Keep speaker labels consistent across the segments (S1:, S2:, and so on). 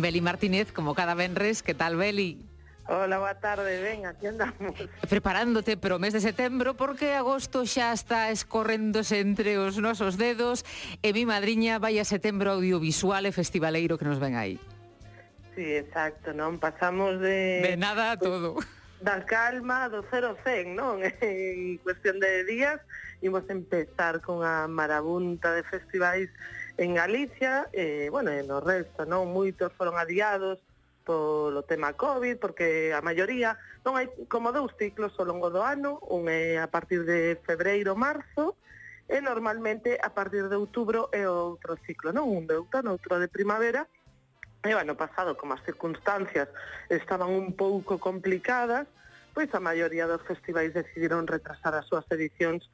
S1: Beli Martínez, como cada venres. Que tal, Beli?
S2: Hola, boa tarde, ben, aquí andamos.
S1: Preparándote para o mes de setembro, porque agosto xa está escorréndose entre os nosos dedos e mi madriña vai a setembro audiovisual e festivaleiro que nos ven aí.
S2: Sí, exacto, non? Pasamos de
S1: nada a todo.
S2: Da calma do 0 ao 100, non? En cuestión de días, imos empezar con a marabunta de festivais en Galicia, e no resto, non? Moitos foron adiados polo tema COVID, porque a maioría non hai como 2 ciclos ao longo do ano, un é a partir de febreiro, marzo, e normalmente a partir de outubro é outro ciclo, non? Un de outono, outro de primavera, e o ano pasado, como as circunstancias estaban un pouco complicadas, pois a maioría dos festivais decidiron retrasar as súas edicións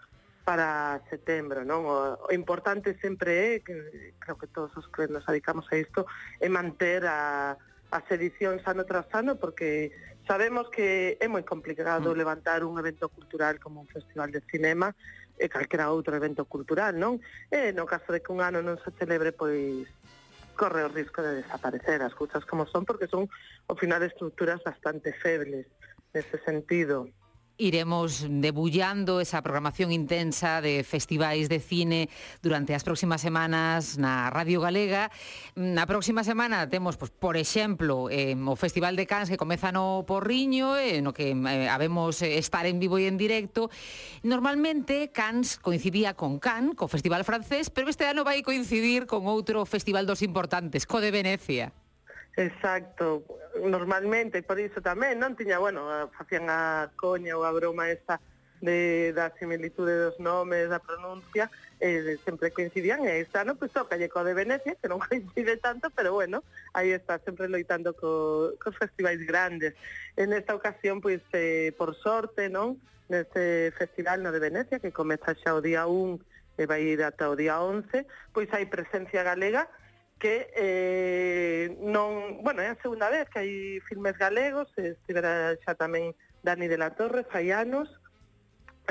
S2: para setembro, non? O importante sempre é, que creo que todos os que nos dedicamos a isto, é manter as edicións ano tras ano, porque sabemos que é moi complicado levantar un evento cultural como un festival de cinema e calquera outro evento cultural, non? E no caso de que un ano non se celebre, pois corre o risco de desaparecer as cousas como son, porque son, ao final, estruturas bastante febles nese sentido.
S1: Iremos debullando esa programación intensa de festivais de cine durante as próximas semanas na Radio Galega. Na próxima semana temos, por exemplo, o Festival de Cannes, que comeza no Porriño, no que habemos estar en vivo e en directo. Normalmente Cannes coincidía con Cannes, co Festival francés, pero este ano vai coincidir con outro festival dos importantes, co de Venecia.
S2: Exacto, normalmente, por iso tamén, non tiña, facían a coña ou a broma esta da similitude dos nomes, da pronuncia, sempre coincidían, e este ano, pois, toca co de Venecia, que non coincide tanto, pero aí está, sempre loitando cos festivais grandes. En esta ocasión, pois, por sorte, non, neste festival no de Venecia, que comeza xa o día 1 e vai ir ata o día 11, pois hai presencia galega, que non, é a segunda vez que hai filmes galegos, estivera xa tamén Dani de la Torre, fai anos,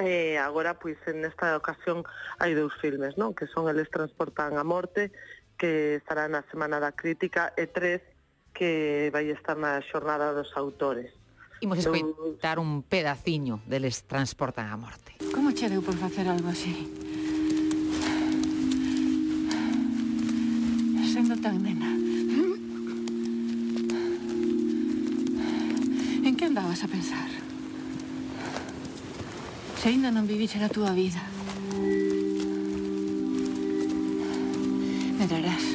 S2: e agora, pois, en esta ocasión hai 2 filmes, non? Que son Eles transportan a morte, que estará na Semana da Crítica, e 3, que vai estar na Xornada dos Autores.
S1: Imos escoitar un pedaciño de Eles transportan a morte.
S3: Como che deu por facer algo así? Sendo tan nena. En que andabas a pensar? Se ainda non viviche a túa vida. Medrarás.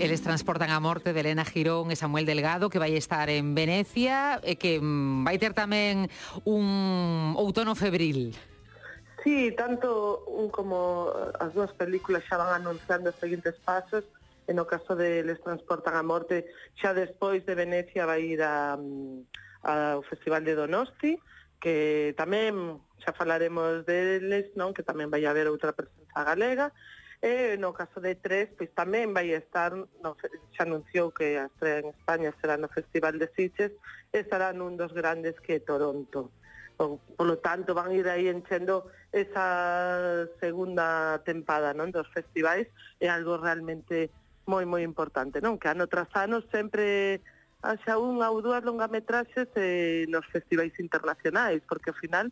S1: Eles transportan a morte de Elena Girón e Samuel Delgado, que vai estar en Venecia e que vai ter tamén un outono febril.
S2: Sí, tanto un como as 2 películas xa van anunciando os seguintes pasos. En o caso de Les transportan a morte, xa despois de Venecia vai ir ao Festival de Donosti, que tamén xa falaremos deles, non? Que tamén vai haber outra presenza galega. E no caso de 3, pois tamén vai estar, xa anunciou que a estrela en España será no Festival de Sitges, e estará nun dos grandes, que é Toronto. Por lo tanto, van ir aí enchendo esa segunda tempada, non? Dos festivais, é algo realmente moi importante, non? Que ano tras ano sempre haxa unha ou 2 longametraxes nos festivais internacionais, porque ao final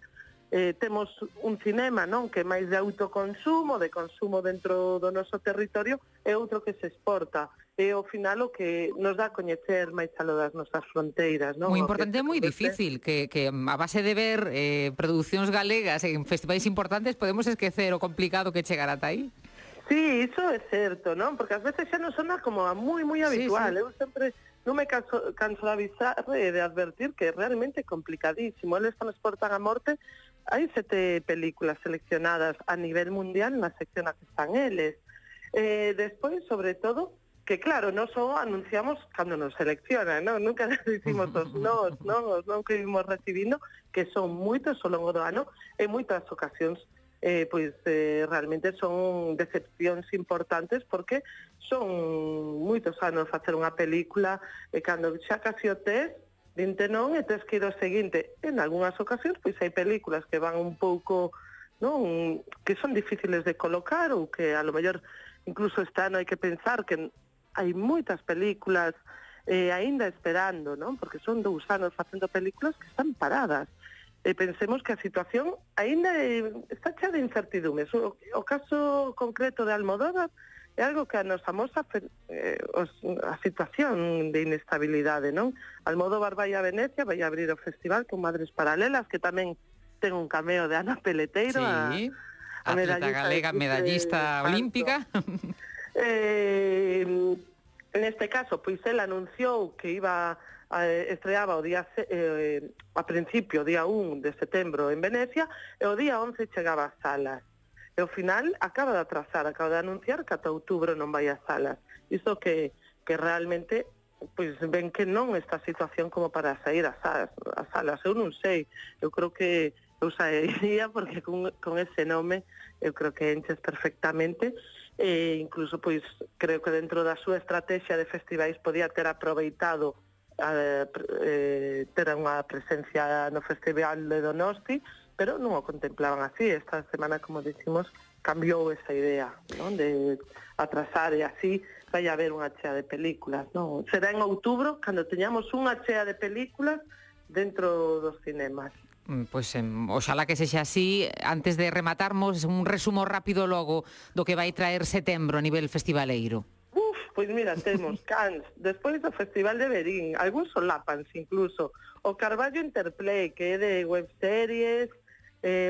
S2: temos un cinema, non? Que é máis de autoconsumo, de consumo dentro do noso territorio, e outro que se exporta. E ao final o que nos dá a coñecer máis aló das nosas fronteiras, non?
S1: Moi importante e moi difícil, que a base de ver producións galegas en festivais importantes podemos esquecer o complicado que chegar ata aí.
S2: Sí, iso é certo, non? Porque ás veces xa non sona como moi habitual. Sí. Eu sempre non me canso de avisar e de advertir que é realmente complicadísimo. Eles transportan a morte. Hai 7 películas seleccionadas a nivel mundial na sección a que están eles. Despois, sobre todo, que claro, non só anunciamos cando nos seleccionan, non? Nunca dicimos os non que vimos recibindo, que son moitos ao longo do ano, e moitas ocasións realmente son decepcións importantes, porque son moitos anos facer unha película, e cando xa casi o tes, dinte non, e tes que ir ao seguinte. En algunhas ocasións, pois hai películas que van un pouco, non, que son difíciles de colocar, ou que a lo mellor incluso este ano hai que pensar que hai moitas películas aínda esperando, non? Porque son 2 anos facendo películas que están paradas. Pensemos que a situación aínda está chea de incertidumes. O caso concreto de Almodóvar é algo que a nos amosa a situación de inestabilidade, non? Almodóvar vai a Venecia, vai a abrir o festival con Madres Paralelas, que tamén ten un cameo de Ana Peleteiro,
S1: sí, a atleta galega, medallista olímpica.
S2: Neste caso, pois ela anunciou que estreaba o día a principio, día 1 de setembro en Venecia, e o día 11 chegaba ás salas. E ao final acaba de atrasar, acaba de anunciar que ata outubro non vai ás salas. Iso que realmente pois ven que non esta situación como para sair ás salas. Eu non sei, eu creo que eu sairía porque con ese nome eu creo que enches perfectamente. Incluso pois creo que dentro da súa estrategia de festivais podía ter aproveitado ter unha presencia no Festival de Donosti, pero non o contemplaban así. Esta semana, como dicimos, cambiou esa idea, non? De atrasar e así vai haber unha chea de películas, non? Será en outubro cando teñamos unha chea de películas dentro dos cinemas.
S1: Pois oxalá que sexa así. Antes de rematarmos, un resumo rápido logo do que vai traer setembro a nivel festivaleiro.
S2: Pois mira, temos Cannes, despois do Festival de Verín, algúns solápanse incluso, o Carballo Interplay, que é de webseries,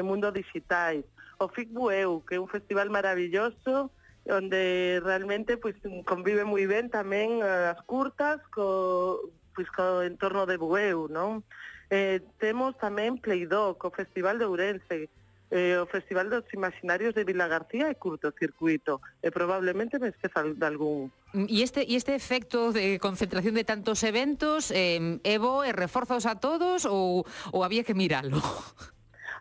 S2: mundo digitais, o FICBUEU, que é un festival maravilloso, onde realmente pois convive moi ben tamén as curtas co entorno de Bueu, non? Temos tamén Playdoc, o Festival de Ourense, o Festival dos Imaginarios de Vila García e Curtocircuito, e probablemente me esqueza de algún.
S1: E este efecto de concentración de tantos eventos, é bo e reforzaos a todos ou había que miralo?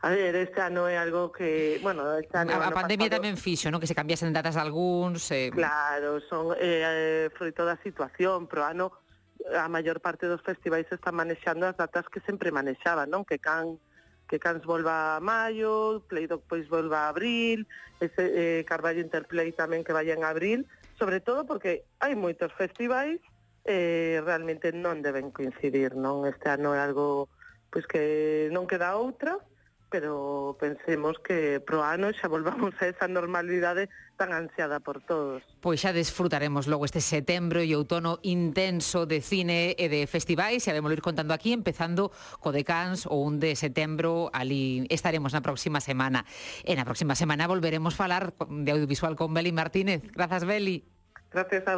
S2: A ver, este ano é algo que, bueno, este ano
S1: a pandemia pasado tamén fixo, non? Que se cambiasen datas de algúns.
S2: Claro, son froito da situación, pero ano a maior parte dos festivais están manexando as datas que sempre manexaban, non? Que Cannes volva a maio, Playdoc pois volva a abril, Carballo Interplay tamén que vai en abril, sobre todo porque hai moitos festivais realmente non deben coincidir, non? Este ano é algo pois que non queda outra, pero pensemos que pro ano xa volvamos a esa normalidade tan ansiada por todos.
S1: Pois xa desfrutaremos logo este setembro e outono intenso de cine e de festivais, e además ir contando aquí, empezando co de Cannes o 1 de setembro, ali estaremos na próxima semana. E na próxima semana volveremos falar de audiovisual con Beli Martínez. Grazas, Beli.
S2: Gracias a